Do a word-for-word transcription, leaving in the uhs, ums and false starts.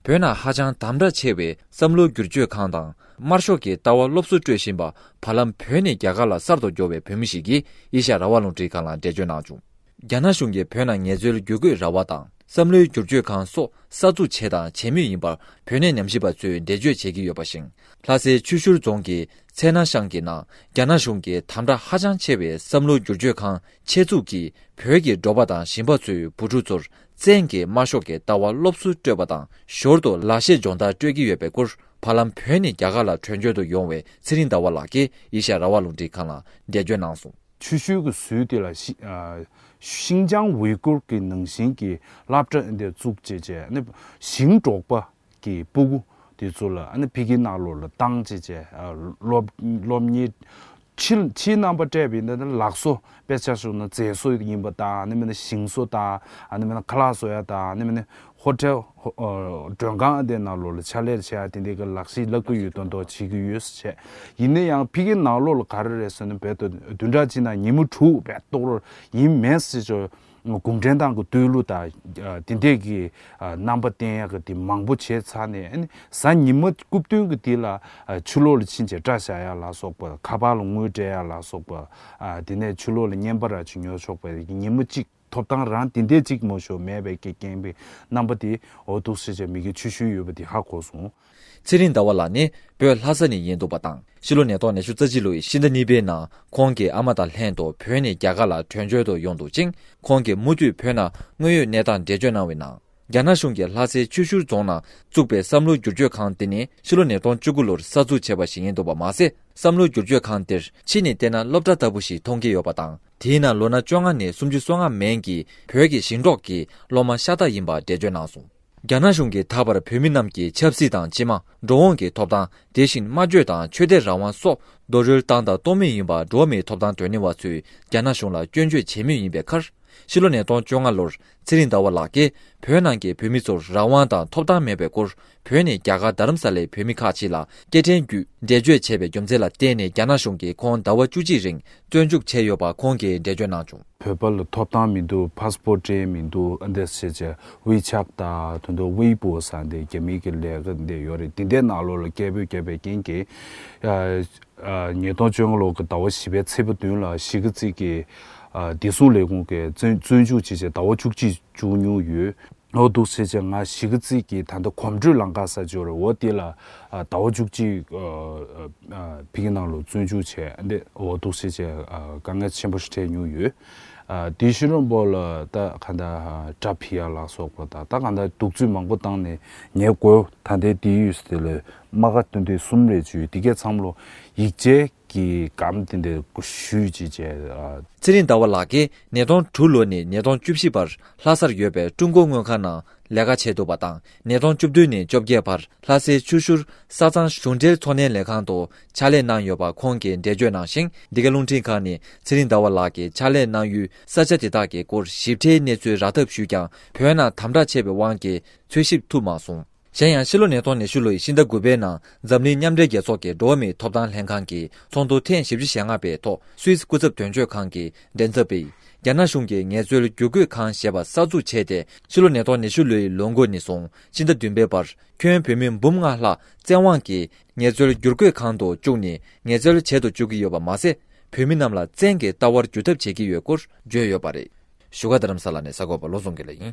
བོད་ནང་ཧ་ཅང་དམ་དྲག་ཆེ་བའི་བསམ་བློ་བསྒྱུར་བཅོས་ཁང་དང་། དམར་ཤོག་གི་ལྟ་བ་སློབ་གསོ་སྤྲོད་བཞིན་པ། བར་ལམ་བོད་ནས་རྒྱ་གར་ལ་གསར་དུ་འབྱོར་བའི་བོད་མི་ཞིག་གིས་ཨེ་ཤ་ཡ་རང་དབང་རླུང་འཕྲིན་ཁང་ལ་འགྲེལ་བརྗོད་གནང་བྱུང་། རྒྱ་ནག་གཞུང་གིས་བོད་ནང་ངལ་རྩོལ་བསྒྱུར་བཀོད་ར་བ་དང་། བསམ་བློའི་བསྒྱུར་བཅོས་ཁང་སོགས་གསར་འཛུགས་བྱས་དང་བྱེད་མུས་ཡིན་པར་བོད་གནས་ཉམས་ཞིབ་པ་ཚོས་འགྲེལ་བརྗོད་བྱེད་ཀྱི་ཡོད་པ་བཞིན། ལྷ་སའི་ཆུ་ཤུར་རྫོང་གི་ཚལ་སྣ་ཤང་གི་ནང་རྒྱ་ནག་གཞུང་གིས་དམ་དྲག་ཧ་ཅང་ཆེ་བའི་བསམ་བློ་བསྒྱུར་བཅོས་ཁང་ཆེད་འཛུགས་ཀྱིས། བོད་ཀྱི་འབྲོག་པ་དང་ཞིང་པ་ཚོའི་བུ་ཕྲུག་ཚོར་བཙན་གྱིས་དམར་ཤོག་གི་ལྟ་བ་སློབ་གསོ་སྤྲོད་པ་དང་། ཞོར་དུ་ལག་ཤེས་སྦྱོང་བརྡར་སྤྲོད་ཀྱི་ཡོད་པའི་སྐོར། བར་ལམ་བོད་ནས་རྒྱ་གར་ལ་བྲོས་བྱོལ་དུ་ཡོང་བའི་ཚེ་རིང་ཟླ་བ་ལགས་ཀྱིས་ཨེ་ཤ་ཡ་རང་དབང་རླུང་འཕྲིན་ཁང་ལ་འགྲེལ་བརྗོད་གནང་སོང་། ཆུ་ཤུར་གྱི་ཟུར་དེ་ལ་ཤི་ཨ་ཤིན་ཅང་ཝུའི་གུར་གྱི་ནང་བཞིན་གྱི་སློབ་གྲྭ་འདི་བཙུགས་བྱས་བྱས་ནི་ཞིང་འབྲོག་པ་གི་སྤུ་གུ་དེ་ཚོ་ལ་ཨ་ནི་ཕ་གིའི་ནང་ལོགས་ལ་བཏང་བྱས་བྱས་ཨ་སློབ་སློབ་གཉེར་ཕྱི་ཕྱིའི་རྣམ་པ་སྤྲད་པ་ཡིན་ན་ནི་ལག་བཟོ། དཔེ་ཆ་བཞག་ན་མཛེས་བཟོ་ཡིན་པ་དང་། ཨ་ནི་མིན་ན་ཞིང་བཟོ་དང་། ཨ་ནི་མིན་ན་ཁ་ལག་བཟོ་ཡ་དང་། ཨ་ནི་མིན་ན་ཧོ་ཊེལ་ཧོ་ཨ་མགྲོན་ཁང་དེ་ནང་ལོགས་ལ་ཕྱག་ལས་བྱེད་ཡ་དེ་འདྲའི་གི་ལག་ཤེས་བསླབ་ཀྱི་ཡོད་མདོག་མདོག་བྱེད་ཀྱི་ཡོད་ཟེར་བྱས། ཡིན་ན་ཡང་ཕ་གིའི་ནང་ལོགས་ལ་ག་རེ་རེད་ཟེར་ན། རྦད་དེ་བདུན་ཕྲག་གཅིག་ནང་ཉིན་མོ་དྲུག་རྦད་གཏོགས་རོགས་ཡིན་མེད་ཟེར་ཆོག་གུང་ཁྲན་ཏང་གི་བསྟོད་གླུ་དང་། ཨ་དེ་འདྲས་ཀྱི་ཨ་རྣམ་པ་བསྟན་ཡག་གི་དེ་མང་པོ་བྱས་ཚར་ནས། ཨ་ནི་གཟའ་ཉི་མ་རྐུབ་སྟོན་གྱི་དེ་ལ་ཨ་ཕྱི་ལོགས་ལ་ཕྱིན་བྱས་སྐྲ་བཞར་ཡག་ལ་སོགས་པ། ཁ་པར་ལ་དངུལ་སྤྲད་ཡག་ལ་སོགས་པ། ཨ་དེ་ནས་ཕྱི་ལོགས་ལ་བརྙན་པར་ར་ཅིག་ཉོ་ཆོག་པའི་ཉིན་མོ་གཅིག་ཐོབ་ཐང་རང་དེ་འདྲས་གཅིག་མ་གཏོགས་མེད་པའི་གི་རྐྱེན་པས་རྣམ་པ་དེ་འོ་འདུག་སེ་བྱས་མི་གི་ཆུ་ཤུལ་ཡོད་པ་དེ་ཧ་གོ་སོང་། ཚེ་རིང་ཟླ་བ་ལགས་ནི་བོད་ལྷ་ས་ནས་ཡིན་འདུག་པ་དང་། ཕྱི་ལོ་ཉིས་སྟོང་ཉི་ཤུ་རྩ་གཅིག་ལོའི་ཕྱི་ཟླ་གཉིས་པའི་ནང་ཁོང་གི་ཨ་མ་དང་ལྷན་དུ་བོད་ནས་རྒྱ་གར་ལ་བྲོས་བྱོལ་དུ་ཡོང་འདུག་ཅིང་། ཁོང་གིས་མུ་མཐུད་བོད་ནང་དངོས་ཡོད་གནས་སྟངས་འགྲེལ་བརྗོད་གནང་བའི་ནང་། རྒྱ་ནག་གཞུང་གིས་ལྷ་སའི་ཆུ་ཤུར་རྫོང་ནང་བཙུགས་པའི་བསམ་བློ་བསྒྱུར་བཅོས་ཁང་དེ་ནི་ཕྱི་ལོ་ཉིས་སྟོང་བཅུ་དགུ་ལོར་གསར་འཛུགས་བྱས་པ་ཞིག་ཡིན་འདུག་པ་མ་ཟད། བསམ་བློ་བསྒྱུར་བཅོས་ཁང་དེར་ཕྱི་ནས་བལྟས་ན་སློབ་གྲྭ་ལྟ་བུ་ཞིག་མཐོང་གི་ཡོད་པ་དང་། དེའི་ནང་ལོ་ན་བཅོ་ལྔ་ནས་སུམ་ཅུ་སོ་ལྔ་མན་གྱི་བོད་ཀྱི་ཞིང་འབྲོག་གི་སློབ་མ་ཤ་སྟག་ཡིན་པ་འགྲེལ་བརྗོད་གནང་སོང་། རྒྱ་ནག་གཞུང་གིས་ད་བར་བོད་མི་རྣམས་ཀྱི་ཆབ་སྲིད་དང་སྤྱི་དམངས། འགྲོ་འོང་གི་ཐོབ་ཐང་། དེ་བཞིན་སྨྲ་བརྗོད་དང་ཆོས་དད་རང་དབང་སོགས་རྡོག་རོལ་བཏང་དང་གཏོང་མུས་ཡིན་པ། འགྲོ་བ་མིའི་ཐོབ་ཐང་དོན་གཉེར་བ་ཚོས་རྒྱ་ནག་གཞུང་ལ་སྐྱོན་བརྗོད་བྱེད་མུས་ཡིན་པའི་ཁར། ཕྱི་ལོ་ཉིས་སྟོང་བཅོ་ལྔ་ལོར་ཚེ་རིང་ཟླ་བ་ལགས་ཀྱིས་བོད་ནང་གི་བོད་མི་ཚོར་རང་དབང་དང་ཐོབ་ཐང་མེད་པའི་སྐོར། བོད་ནས་རྒྱ་གར་རྡ་རམ་ས་ལའི་བོད་མི་ཁག་ཅིག་ལ་སྐད་འཕྲིན་བརྒྱུད་འགྲེལ་བརྗོད་བྱས་པའི་རྒྱུ་མཚན་ལ་བརྟེན་ནས་རྒྱ་ནག་གཞུང་གིས་ཁོང་ཟླ་བ་བཅུ་གཅིག་རིང་བཙོན་འཇུག་བྱས་ཡོད་པ་ཁོང་གིས་འགྲེལ་བརྗོད་གནང་བྱུང་། བོད་པ་ལ་ཐོབ་ཐང་མི་འདུག་ཕ་སི་པོར་སྤྲད་མི་འདུག་ཨ་འདྲ་བྱས་བྱས་ཝེ་ཆད་དང་དེ་ཚོ་ཝེ་པོ་ཟེར་འདི་རྒྱ་མི་གི་ལས་ཀ་འདི་ཡོད་རེད། འདི་འདྲའི་ནང་ལོགས་ལ་སྐད་འབོད་བརྒྱབ་པའི་རྐྱེན་གྱིས། ཨ་ཨ་ཉིས་སྟོང་བཅོ་ལྔ་ལོ་གི་ཟླ་བ་བཞི་པའི་ཚེས་པ་བདུན་ལ་གཞིས་ཀ་རྩེ་གི་ཨ་བདེ་སྲུང་ལས་ཁུངས་ཀྱིས་བཙོན་བཙོན་འཇུག་བྱས་བྱས་ཟླ་བ་བཅུ་གཅིག་བཅུག་མྱོང་ཡོད། འོ་འདུག་སེ་བྱས་ང་གཞིས་ཀ་རྩེ་གི་ད་ལྟ་གོམ་བགྲོད་ལམ་ཁ་ཟེར་ཅིག་ཡོད་རེད། འོ་དེ་ལ་ཨ་ཟླ་བ་བཅུ་གཅིག་ཨ་ཨ་ཕ་གི་ནང་ལ་བཙོན་འཇུག་བྱས་འདི་འོ་འདུག་སེ་བྱས་ཨ་དཀའ་ངལ་ཆེན་པོ་ཞིག་འཕྲད་མྱོང་ཡོད། ཨ་དེ་ཕྱི་རོལ་པོ་ལ་ད་ག་འདྲ་ཨ་དགྲ་ཕྱི་ཡ་ལ་སོགས་པ་དང་། ད་ག་འདྲ་གདུག་རྩུབ་མང་པོ་བཏང་ནས་ཉེས་དགོས། ད་ལྟའི་དེ་ཡོད་དེ་ལ་རྨ་ཁ་སྟོན་དུས་གསུམ་རེ་བཅུ་དེ་གས་ཚང་མ་ལོ་ཡིག་ཆའི་གི་སྒམ་དེ་འདྲ་ཞུས་ཅིག་བྱས། ཨ། ཚེ་རིང་ཟླ་བ་ལགས་ཀྱིས་ཉིས་སྟོང་དྲུག་ལོ་ནས་ཉིས་སྟོང་བཅུ་བཞི་བར་ལྷ་སར་ཡོད་པའི་ཀྲུང་གོ་དངུལ་ཁང་ནང་ལས་ཀ་བྱས་འདུག་པ་དང་། ཉིས་སྟོང་བཅུ་བདུན་ནས་བཅོ་བརྒྱད་བར་ལྷ་སའི་ཆུ་ཤུར་ས་གཙང་གཞུང་འབྲེལ་ཚོང་ལས་ལས་ཁང་དུ་ཕྱག་ལས་གནང་ཡོད་པ་ཁོང་གིས་འགྲེལ་བརྗོད་གནང་ཞིང་། འདི་ག་རླུང་འཕྲིན་ཁང་ནས་ཚེ་རིང་ཟླ་བ་ལགས་ཀྱིས་ཕྱག་ལས་གནང་ཡུལ་ས་ཆ་དེ་དག་གི་སྐོར་ཞིབ་ཕྲའི་གནས་ཚུལ་རག་ཐབས་ཞུས་ཀྱང་། བོད་ནང་དམ་དྲག་ཆེ་བའི་དབང་གིས་འཚོལ་ཞིབ་ཐུབ་མ་སོང་། གཞན་ཡང་ཕྱི་ལོ་ཉིས་སྟོང་ཉི་ཤུ་ལོའི་ཕྱི་ཟླ་དགུ་པའི་ནང་འཛམ་གླིང་མཉམ་འབྲེལ་རྒྱལ་ཚོགས་ཀྱི་འགྲོ་བ་མིའི་ཐོབ་ཐང་ལྷན་ཁང་གི་ཚོགས་འདུ་ཐེངས་བཞི་བཅུ་ཞེ་ལྔ་པའི་ཐོག་སུད་སི་སྐུ་ཚབ་དོན་གཅོད་ཁང་གི་མགྲིན་ཚབ་པས། རྒྱ་ནག་གཞུང་གིས་ངལ་རྩོལ་བསྒྱུར་བཀོད་ཁང་ཞེས་པ་གསར་འཛུགས་བྱས་ཏེ། ཕྱི་ལོ་ཉིས་སྟོང་ཉི་ཤུ་ལོའི་ལོ་འགོ་ནས་བཟུང་ཕྱི་ཟླ་བདུན་པའི་བར་ཁྱོན་བོད་མི་འབུམ་ལྔ་ལྷག་བཙན་དབང་གིས་ངལ་རྩོལ་བསྒྱུར་བཀོད་ཁང་དུ་བཅུག་ནས་ངལ་རྩོལ་བྱེད་དུ་བཅུག་གི་ཡོད་པ་མ་ཟད། བོད་མི་རྣམས་ལ་བཙན་གྱིས་ལྟ་བར་འགྱུར་ཐབས་བྱེད་ཀྱི་ཡོད་སྐོར་བརྗོད་ཡོད་པ་རེད། བཞུགས་སྒར་རྡ་རམ་ས་ལ་ནས་གསར་འགོད་པ་བློ་བཟང་དགེ་ལེགས་ཡིན།